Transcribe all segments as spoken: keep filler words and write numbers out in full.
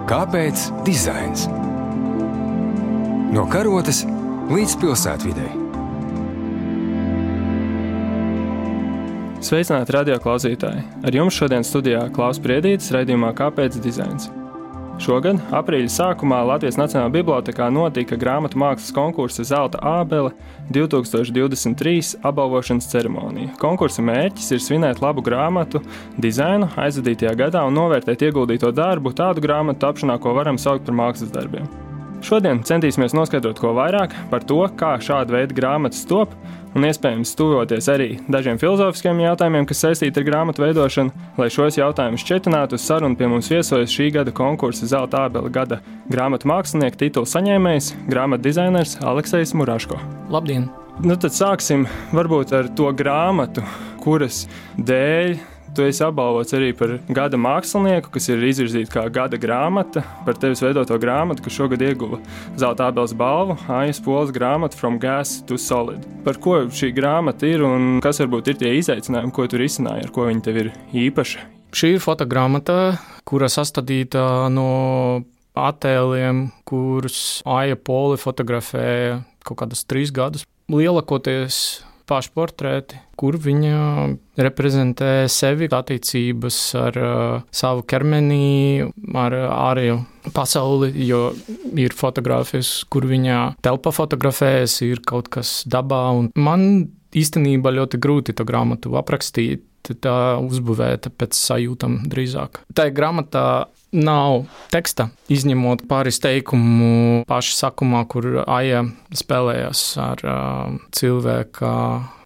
Kāpēc dizains? No karotes līdz pilsētvidei. Sveicināti radioklausītāji! Ar jums šodien studijā Klaus Priedītis raidījumā Kāpēc dizains? Šogad, aprīļa sākumā, Latvijas Nacionālajā bibliotēkā notika grāmatu mākslas konkursa Zelta ābele divi tūkstoši divdesmit trīs apbalvošanas ceremonija. Konkursa mērķis ir svinēt labu grāmatu dizainu aizvadītajā gadā un novērtēt ieguldīto darbu tādu grāmatu tapšanā, ko varam saukt par mākslas darbiem. Šodien centīsimies noskaidrot ko vairāk par to, kā šāda veida grāmatas top, un iespējams tuvoties arī dažiem filozofiskiem jautājumiem, kas saistīti ar grāmatu veidošanu. Lai šos jautājumus šķetinātu, uz sarunu pie mums viesojas šī gada konkursa Zelta ābele gada grāmatu mākslinieka titula saņēmējs, grāmatu dizainers Aleksejs Muraško. Labdien! Nu tad sāksim varbūt ar to grāmatu, kuras dēļ tu esi apbalvots arī par gada mākslinieku, kas ir izvirzīta kā gada grāmata, par tevis veidoto grāmatu, kas šogad ieguva Zelta ābeles balvu, Aijas Poles grāmatu From Gas to Solid. Par ko šī grāmata ir un kas varbūt ir tie izaicinājumi, ko tu risināji, ar ko viņa tev ir īpaša? Šī ir fotogrāmata, kura sastādīta no attēliem, kurus Aija Pole fotografēja kaut kādus trīs gadus. Lielakoties pašportrēti, kur viņa reprezentē sevi attiecības ar uh, savu ķermeni, ar ārējo pasauli, jo ir fotogrāfijas, kur viņa telpa fotografējas, ir kaut kas dabā, un man īstenībā ļoti grūti to grāmatu aprakstīt, tā uzbūvēta pēc sajūtam drīzāk. Tā grāmatā nav teksta, izņemot pāris teikumu paša sakumā, kur Aija spēlējas ar uh, cilvēka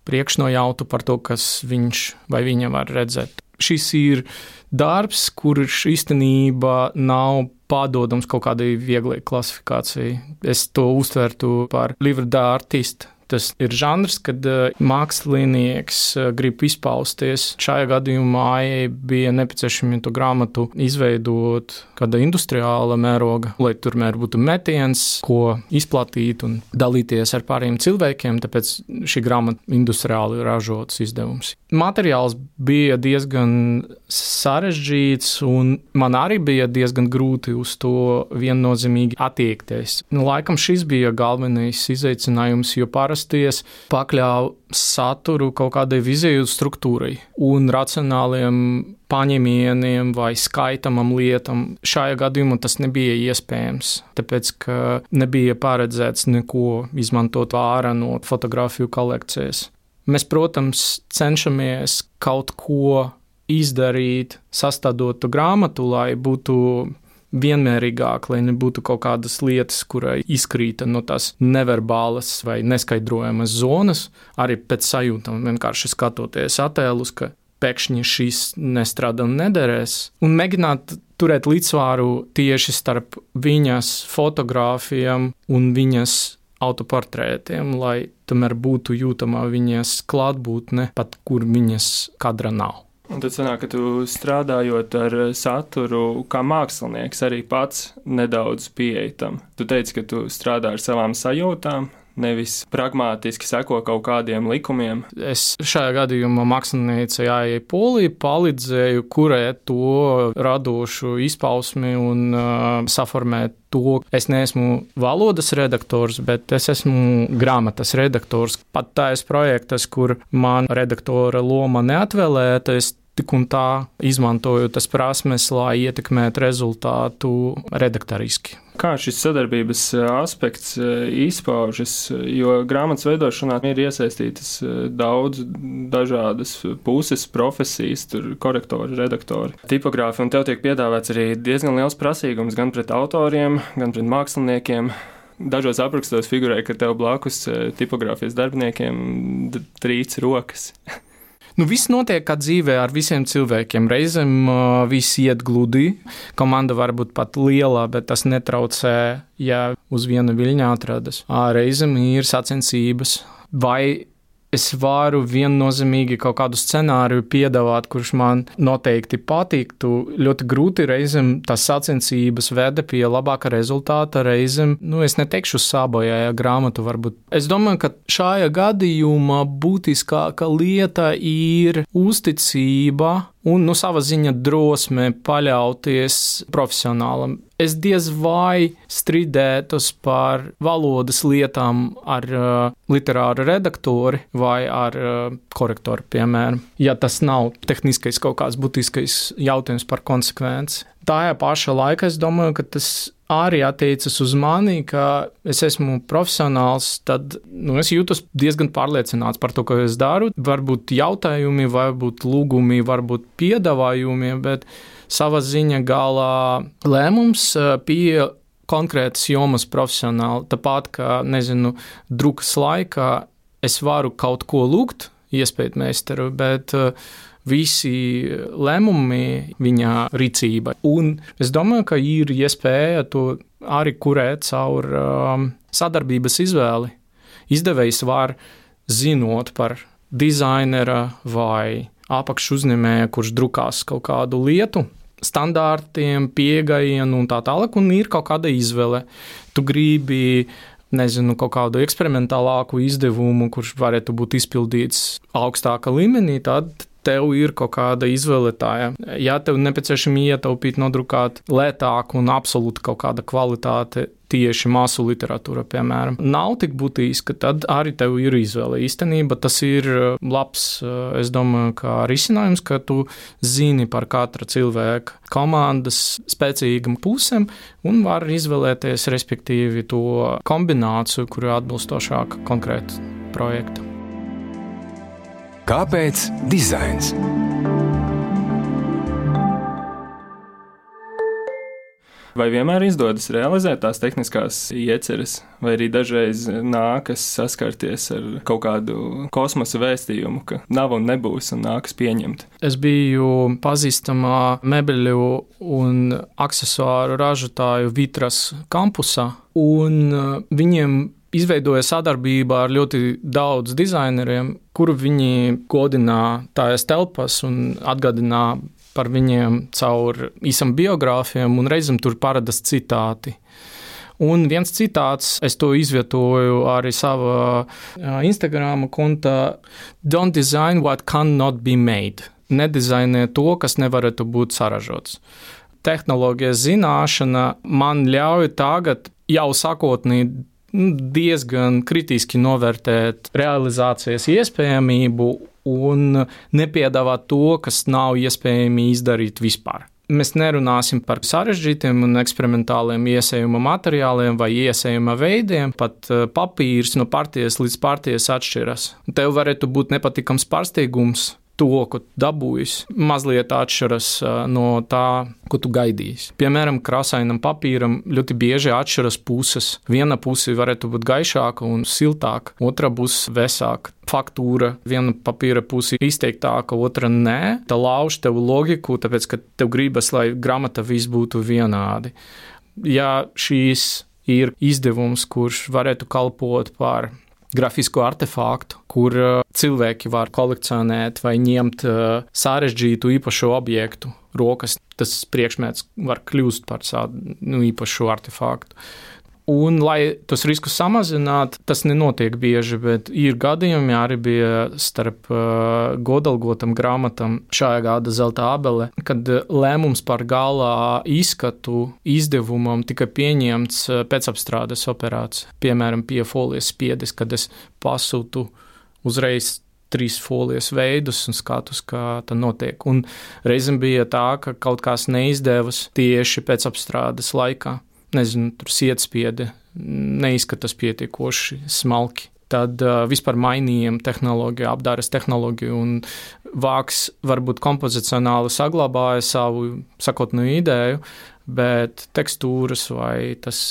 priekšnojautu par to, kas viņš vai viņa var redzēt. Šis ir darbs, kurš īstenībā nav pārdodams kaut kādai vieglai klasifikācijai. Es to uztvertu par livre d'artiste. Tas ir žanrs, kad mākslinieks grib izpausties. Šajā gadījumā Aijai bija nepieciešami to grāmatu izveidot kāda industriāla mēroga, lai turmēr būtu metiens, ko izplatīt un dalīties ar pārējiem cilvēkiem, tāpēc šī grāmata industriāli ražots izdevums. Materiāls bija diezgan sarežģīts, un man arī bija diezgan grūti uz to viennozīmīgi attiekties. Nu, laikam šis bija galvenais izaicinājums, jo parasti es pakļauju saturu kaut kādai viziju struktūrai un racionāliem paņēmieniem vai skaitamam lietam. Šajā gadījumā tas nebija iespējams, tāpēc, ka nebija paredzēts neko izmantot ārā no fotogrāfiju kolekcijas. Mēs, protams, cenšamies kaut ko izdarīt, sastādot grāmatu, lai būtu vienmērīgāk, lai nebūtu kaut kādas lietas, kurai izkrīta no tās neverbālas vai neskaidrojamas zonas, arī pēc sajūtām, vienkārši skatoties attēlus, ka pēkšņi šis nestrādā un nederēs, un mēģināt turēt līdzsvaru tieši starp viņas fotogrāfijām un viņas autoportrētiem, lai tomēr būtu jūtama viņas klātbūtne, pat kur viņas kadra nav. Un tad sanāk, ka tu strādājot ar saturu kā mākslinieks arī pats nedaudz pieeji tam. Tu teici, ka tu strādā ar savām sajūtām, nevis pragmātiski seko kaut kādiem likumiem. Es šajā gadījumā māksliniecei Aijai Polei palīdzēju kurēt to radošu izpausmi un uh, saformēt to. Es neesmu valodas redaktors, bet es esmu grāmatas redaktors. Pat tais projektas, kur man redaktora loma neatvēlēta, es tik un tā izmantoju tas prasmes, lai ietekmētu rezultātu redaktoriski. Kā šis sadarbības aspekts izpaužas, jo grāmatas veidošanā ir iesaistītas daudz dažādas puses, profesijas, tur korektori, redaktori, tipogrāfi, un tev tiek piedāvāts arī diezgan liels prasīgums gan pret autoriem, gan pret māksliniekiem. Dažos aprakstos figurē, ka tev blakus tipogrāfijas darbiniekiem trīc rokas. Nu, viss notiek kā dzīvē ar visiem cilvēkiem. Reizēm uh, viss iet gludi. Komanda var būt pat liela, bet tas netraucē, ja uz viena viļņa atradas. Reizēm ir sacensības. Vai es varu viennozīmīgi kaut kādu scenāriju piedāvāt, kurš man noteikti patiktu. Ļoti grūti reizēm tas sacensības veda pie labāka rezultāta, reizēm, nu, es neteikšu sabojāja grāmatu varbūt. Es domāju, ka šajā gadījumā būtiskāka lieta ir uzticība un nu, sava ziņa drosme paļauties profesionālam. Es diez vai strīdētos par valodas lietām ar uh, literāru redaktori vai ar uh, korektoru, piemēram, ja tas nav tehniskais kaut kāds būtiskais jautājums par konsekvenci. Tajā pašā laikā es domāju, ka tas arī attiecas uz mani, ka es esmu profesionāls, tad nu, es jūtos diezgan pārliecināts par to, ko es daru. Varbūt jautājumi, varbūt lūgumi, varbūt piedāvājumi, bet sava ziņa galā lēmums pie konkrētas jomas profesionāli. Tāpat, kā, nezinu, drukas laikā es varu kaut ko lūgt, iespēt meistaru, bet uh, visi lēmumi viņa rīcība. Un es domāju, ka ir iespēja to arī kurēt caur um, sadarbības izvēli. Izdevējs var zinot par dizainera vai apakšu uzņēmēja, kurš drukās kaut kādu lietu, standārtiem, pieejamiem un tā tālāk, un ir kaut kāda izvēle. Tu gribi, nezinu, kaut kādu eksperimentālāku izdevumu, kurš varētu būt izpildīts augstāka līmenī, tad tev ir kaut kāda izvēle tā. Ja tev nepieciešami ietaupīt, nodrukāt lētāk un absolūti kaut kāda kvalitāte, tieši masu literatūra, piemēram, nav tik būtiska, tad arī tev ir izvēle. Īstenībā tas ir labs, es domāju, kā risinājums, ka tu zini par katra cilvēka komandas spēcīgam pusēm un var izvēlēties, respektīvi, to kombināciju, kuru atbilstošāk konkrētu projektu. Kāpēc dizains? Vai vienmēr izdodas realizēt tās tehniskās ieceres, vai arī dažreiz nākas saskarties ar kaut kādu kosmosa vēstījumu, ka nav un nebūs un nākas pieņemt? Es biju pazīstamā mebeļu un aksesuāru ražotāju Vitras kampusā, un viņiem izveidoja sadarbība ar ļoti daudz dizaineriem, kuru viņi godināja tājas telpas un atgādināja par viņiem caur īsam biogrāfiem, un reizēm tur paradas citāti. Un viens citāts, es to izvietoju arī savā Instagram kontā: Don't design what cannot be made. Nedizainē to, kas nevarētu būt saražots. Tehnoloģijas zināšana man ļauj tagad jau sākotnēji diezgan kritiski novērtēt realizācijas iespējamību un nepiedāvāt to, kas nav iespējami izdarīt vispār. Mēs nerunāsim par sarežģītiem un eksperimentāliem iesējuma materiāliem vai iesējuma veidiem, pat papīrs no partijas līdz partijas atšķiras. Tev varētu būt nepatikams pārsteigums. To, ko dabūjis, mazliet atšķiras no tā, ko tu gaidīsi. Piemēram, krāsainam papīram ļoti bieži atšķiras puses. Viena puse varētu būt gaišāka un siltāka, otra būs vesāka. Faktūra, viena papīra puse izteiktāka, otra nē. Tā lauž tev logiku, tāpēc, ka tev gribas, lai grāmata viss būtu vienādi. Ja šīs ir izdevums, kurš varētu kalpot par grafisku artefaktu, kur cilvēki var kolekcionēt vai ņemt sarežģītu īpašu objektu rokas, tas priekšmets var kļūst par tādu nu, īpašu artefaktu. Un, lai tos riskus samazinātu, tas nenotiek bieži, bet ir gadījumi, arī bija starp uh, godalgotam grāmatam šajā gada Zelta ābele, kad lēmums par galā izskatu izdevumam tika pieņemts pēcapstrādes operācija. Piemēram, pie folijas spiedes, kad es pasūtu uzreiz trīs folijas veidus un skatus, kā tā notiek. Un reizēm bija tā, ka kaut kas neizdevas tieši pēcapstrādes laikā. Nezinu, tur sietspiede neizskatās pietiekoši smalki. Tad uh, vispār mainījām tehnoloģiju, apdāres tehnoloģiju, un vāks varbūt kompozicionāli saglabāja savu sakotnēju ideju, bet tekstūras vai tas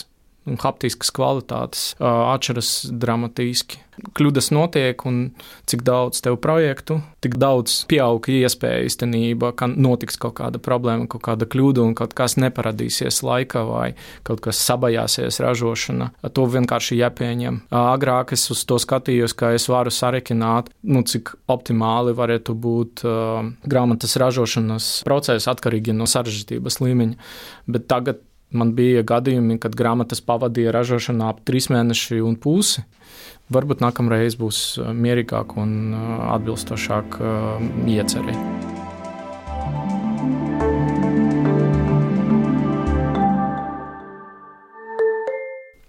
un haptiskas kvalitātes uh, atšķiras dramatiski. Kļūdas notiek, un cik daudz tev projektu, tik daudz pieaug iespēja īstenībā, ka notiks kaut kāda problēma, kaut kāda kļūda un kaut kas neparadīsies laikā vai kaut kas sabajāsies ražošana. To vienkārši jāpieņem. Agrāk es uz to skatījos, ka es varu sarekināt, nu, cik optimāli varētu būt uh, grāmatas ražošanas process atkarīgi no sarežģītības līmeņa, bet tagad man bija gadījumi, kad grāmatas pavadīja ražošanā ap trīs mēneši un pusi. Varbūt nākamreiz būs mierīgāk un atbilstošāk iecerē.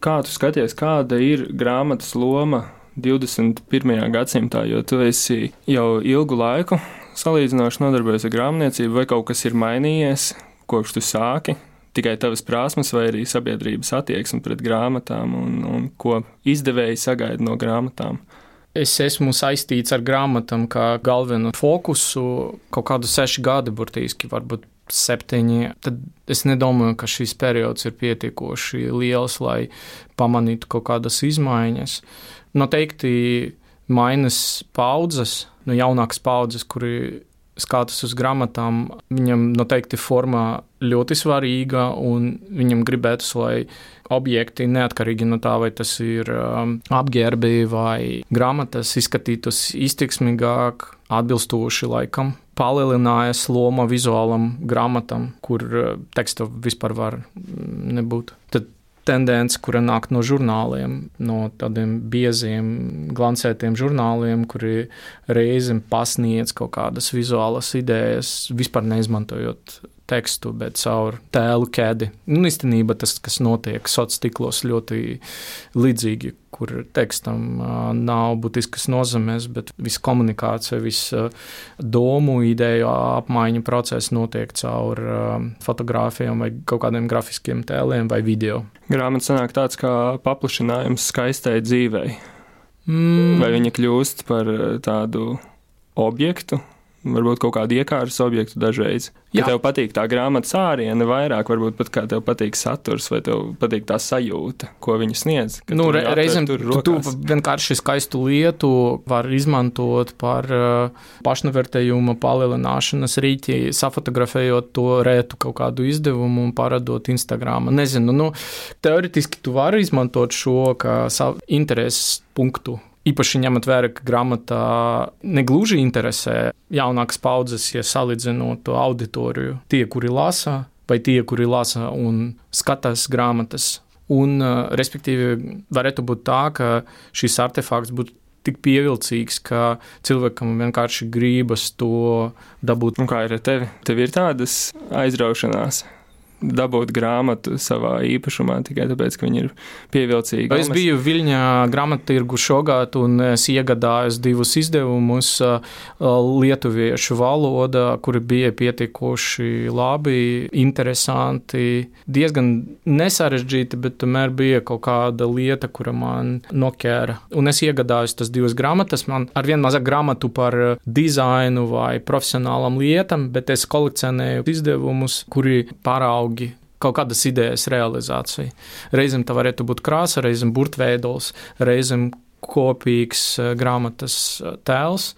Kā tu skaties, kāda ir grāmatas loma divdesmit pirmajā gadsimtā, jo tu esi jau ilgu laiku salīdzinoši nodarbojies ar grāmatniecību, vai kaut kas ir mainījies, kopš tu sāki? Tikai tavas prasmes vai arī sabiedrības attieksme pret grāmatām un, un ko izdevēji sagaida no grāmatām? Es esmu saistīts ar grāmatām kā galveno fokusu kaut kādu seši gadi, burtiski, varbūt septiņi. Tad es nedomāju, ka šis periods ir pietiekoši liels, lai pamanītu kaut kādas izmaiņas. Noteikti mainas paudzes, no jaunākas paudzes, kuri skatās uz grāmatām, viņam noteikti formā ļoti svarīga, un viņam gribētos, lai objekti, neatkarīgi no tā, vai tas ir um, apģērbi vai grāmatas, izskatītos izteiksmīgāk, atbilstoši laikam. Palielinājās loma vizuālam grāmatam, kur teksta vispār var nebūt. Tad tendence, kura nāk no žurnāliem, no tādiem bieziem, glancētiem žurnāliem, kuri reizēm pasniedz kaut kādas vizuālas idejas, vispār neizmantojot tekstu, bet caur tēlu ķēdi. Un īstenībā tas, kas notiek sociālos tīklos, ļoti līdzīgi, kur tekstam nav būtiskas nozīmes, bet visa komunikācija, visa domu, ideju apmaiņa process notiek caur fotogrāfijām vai kaut kādiem grafiskiem tēliem vai video. Grāmata sanāk tāds kā paplašinājums skaistai dzīvei. Mm. Vai viņa kļūst par tādu objektu? Varbūt kaut kādu iekārtas objektu dažreiz. Ja tev patīk tā grāmatas āriene vairāk, varbūt pat kā tev patīk saturs, vai tev patīk tā sajūta, ko viņa sniedz. Nu, re, reizēm tu, tu vienkārši skaistu lietu var izmantot par uh, pašnovērtējuma palielināšanas rīķi, safotografējot to rētu kaut kādu izdevumu un paradot Instagramā. Nezinu, nu, teoretiski tu vari izmantot šo kā savu intereses punktu. Īpaši ņemot vērā, ka grāmatā negluži interesē jaunākas paudzes, ja salīdzinot to auditoriju. Tie, kuri lasa, vai tie, kuri lasa un skatās grāmatas. Un, respektīvi, varētu būt tā, ka šis artefakts būtu tik pievilcīgs, ka cilvēkam vienkārši gribas to dabūt. Un kā ir ar tevi? Tev ir tādas aizraušanās dabūt grāmatu savā īpašumā tikai tāpēc, ka viņi ir pievilcīgi. Es biju Viļņā grāmattirgu šogad un es iegādājos divus izdevumus lietuviešu valodā, kuri bija pietiekoši labi, interesanti, diezgan nesarežģīti, bet tomēr bija kaut kāda lieta, kura man noķēra. Un es iegādājos tas divas grāmatas. Man arvien mazāk grāmatu par dizainu vai profesionālam lietam, bet es kolekcionēju izdevumus, kuri pārauga kaut kādas idejas realizācija. Reizēm tā varētu būt krāsa, reizēm burtveidols, reizēm kopīgs grāmatas tēls,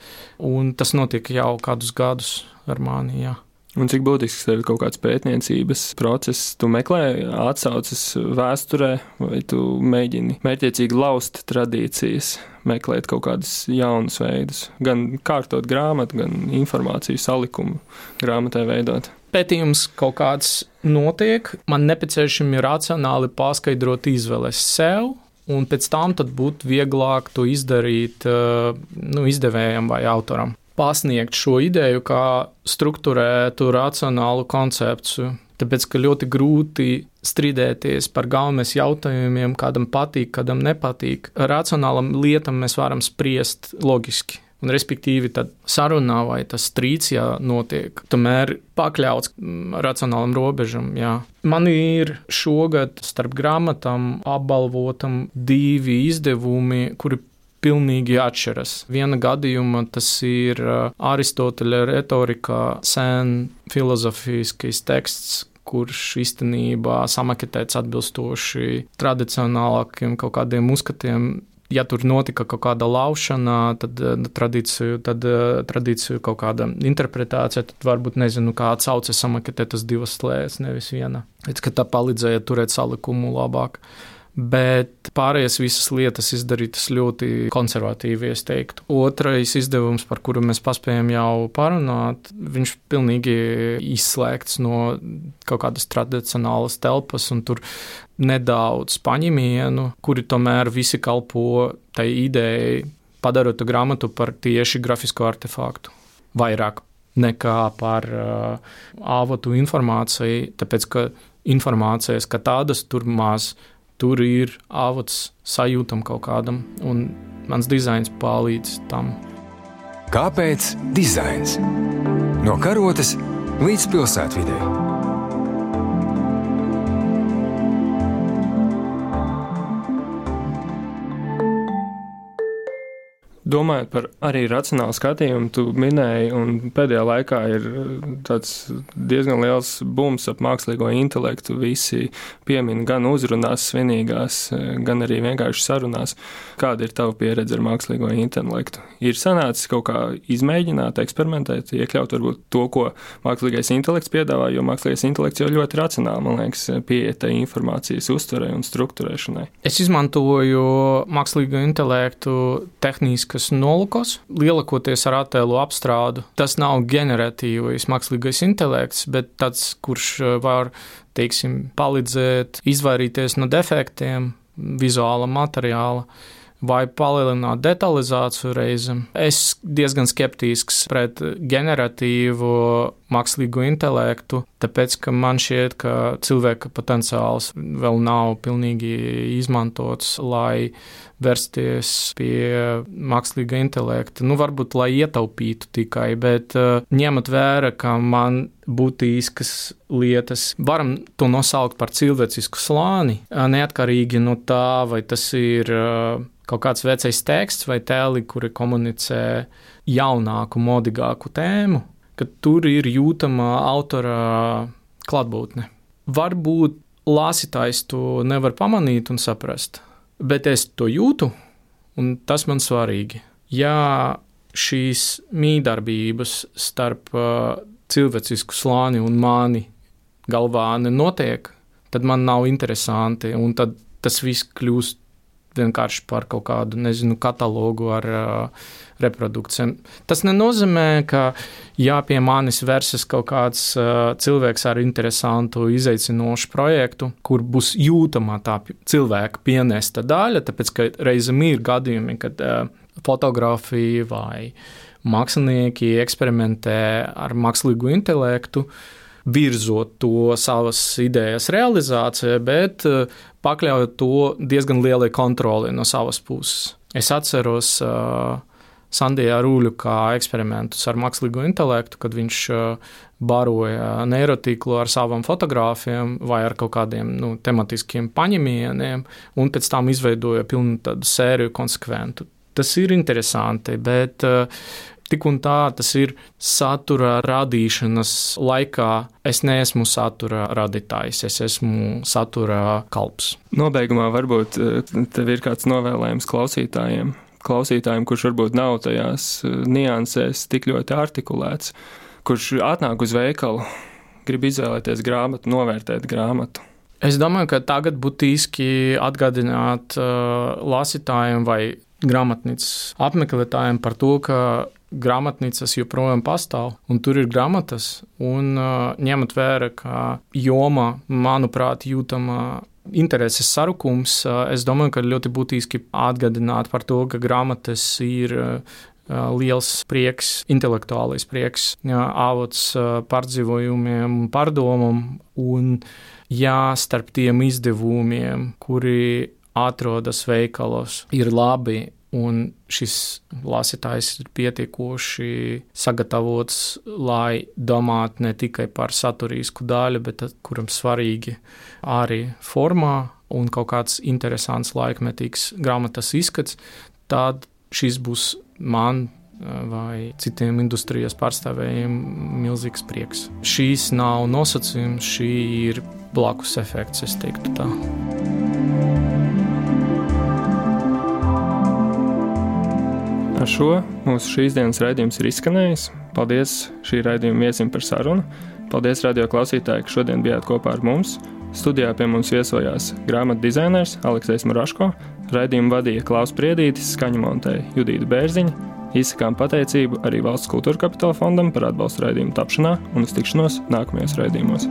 un tas notiek jau kādus gadus ar mani, jā. Un cik būtisks tev ir kaut kāds pētniecības process? Tu meklē atsauces vēsturē, vai tu mēģini mērķiecīgi laust tradīcijas, meklēt kaut kādus jaunus veidus, gan kārtot grāmatu, gan informāciju salikumu grāmatai veidot? Pētījums kaut kāds notiek, man nepieciešami racionāli paskaidrot izvēles sev, un pēc tam tad būtu vieglāk to izdarīt nu, izdevējam vai autoram. Pasniegt šo ideju kā strukturētu racionālu koncepciju, tāpēc, ka ļoti grūti strīdēties par galvenais jautājumiem, kādam patīk, kādam nepatīk. Racionālam lietam mēs varam spriest loģiski. Un, respektīvi, tad sarunā vai tas strīds, ja notiek, tomēr pakļauts racionālam robežam, jā. Man ir šogad starp grāmatām apbalvotam divi izdevumi, kuri pilnīgi atšķiras. Viena gadījuma tas ir Aristoteļa retorikā sen filozofiskais teksts, kurš īstenībā samaketēts atbilstoši tradicionālākiem kaut kādiem uzskatiem. Ja tur notika kaut kāda laušana, tad tradīciju, tad tradīciju kaut kāda interpretācija, tad varbūt nezinu, kā atsauce samaketēt tas divas slēdes, nevis viena. Līdz, ka tā palīdzēja turēt salikumu labāk. Bet pārējās visas lietas izdarītas ļoti konservatīvi, es teiktu. Otrais izdevums, par kuru mēs paspējam jau parunāt, viņš pilnīgi izslēgts no kaut kādas tradicionālas telpas, un tur nedaudz paņemienu, kuri tomēr visi kalpo tai idejai padarot grāmatu par tieši grafisko artefaktu. Vairāk nekā par uh, avotu informāciju, tāpēc, ka informācijas, ka tādas tur maz, tur ir avots sajūtam kaut kādam, un mans dizains palīdz tam. Kāpēc dizains? No karotes līdz pilsētvidei. Domājot par arī racionālu skatījumu, tu minēji, un pēdējā laikā ir tāds diezgan liels bums ap mākslīgo intelektu. Visi piemin gan uzrunās svinīgās, gan arī vienkārši sarunās. Kāda ir tava pieredze ar mākslīgo intelektu? Ir sanācis kaut kā izmēģināt, eksperimentēt, iekļaut varbūt to, ko mākslīgais intelekts piedāvā, jo mākslīgais intelekts jau ļoti racionāli, man liekas, pieeja informācijas uztverei un struktūrēšanai. Es izmantoju mākslīgo intelektu tehniskas nolūkos, lielākoties ar attēlu apstrādu. Tas nav ģeneratīvais mākslīgais intelekts, bet tāds, kurš var, teiksim, palīdzēt izvairīties no defektiem vizuāla materiāla vai palielināt detalizāciju reizēm. Es diezgan skeptisks pret generatīvu mākslīgo intelektu, tāpēc, ka man šķiet, ka cilvēka potenciāls vēl nav pilnīgi izmantots, lai vērsties pie mākslīga intelekta. Nu, varbūt, lai ietaupītu tikai, bet uh, ņemot vērā, ka man būtiskas lietas, varam to nosaukt par cilvēcisku slāni, neatkarīgi no tā, vai tas ir uh, kaut kāds vecais teksts vai tēli, kuri komunicē jaunāku, modīgāku tēmu, ka tur ir jūtama autora klātbūtne. Varbūt lasītājs to nevar pamanīt un saprast, bet es to jūtu, un tas man svarīgi. Ja šīs mīdarbības starp uh, cilvēcisku slāni un mani galvā nenotiek, tad man nav interesanti, un tad tas viss kļūst vienkārši par kaut kādu, nezinu, katalogu ar uh, reprodukcijām. Tas nenozīmē, ka ja pie manis versis kaut kāds uh, cilvēks ar interesantu, izaicinošu projektu, kur būs jūtama tā cilvēka pienesta daļa, tāpēc, ka reizēm ir gadījumi, kad uh, fotografija vai mākslinieki eksperimentē ar mākslīgu intelektu, virzot to savas idejas realizācijai, bet pakļaujot to diezgan lielai kontroli no savas puses. Es atceros uh, Sandija Rūļuka eksperimentus ar mākslīgo intelektu, kad viņš uh, baroja neirotīklu ar savām fotogrāfiem vai ar kaut kādiem nu, tematiskiem paņemieniem, un pēc tam izveidoja pilnu tādu sēriju konsekventu. Tas ir interesanti, bet uh, tik un tā tas ir satura radīšanas laikā. Es neesmu satura radītājs, es esmu satura kalps. Nobeigumā varbūt tev ir kāds novēlējums klausītājiem, klausītājiem, kurš varbūt nav tajās niansēs tik ļoti artikulēts, kurš atnāk uz veikalu, grib izvēlēties grāmatu, novērtēt grāmatu. Es domāju, ka tagad būtiski atgādināt uh, lasītājiem vai grāmatnīcas apmeklētājiem par to, ka grāmatnīcas joprojām pastāv, un tur ir grāmatas, un uh, ņemot vērā, ka joma, manuprāt, jūtama intereses sarukums, uh, es domāju, ka ļoti būtiski atgādināt par to, ka grāmatas ir uh, liels prieks, intelektuālais prieks, uh, avots uh, pārdzīvojumiem un pārdomam, un jā, starp tiem izdevumiem, kuri atrodas veikalos, ir labi, un šis lasītājs ir pietiekoši sagatavots, lai domātu ne tikai par saturisku daļu, bet kuram svarīgi arī formā un kaut kāds interesants laikmetīgs grāmatas izskats, tad šis būs man vai citiem industrijas pārstāvējiem milzīgs prieks. Šīs nav nosacījums, šī ir blakus efekts, es teiktu tā. Ar šo mūsu šīs dienas raidījums ir izskanējis. Paldies šī raidījuma viesim par sarunu. Paldies radio klausītāji, ka šodien bijāt kopā ar mums. Studijā pie mums viesojās grāmatu dizainers Aleksejs Muraško, raidījumu vadīja Klaus Priedītis, skaņu montēja Judīta Bērziņa. Izsakām pateicību arī Valsts kultūra kapitāla fondam par atbalstu raidījumu tapšanā un uz tikšanos nākamajos raidījumos.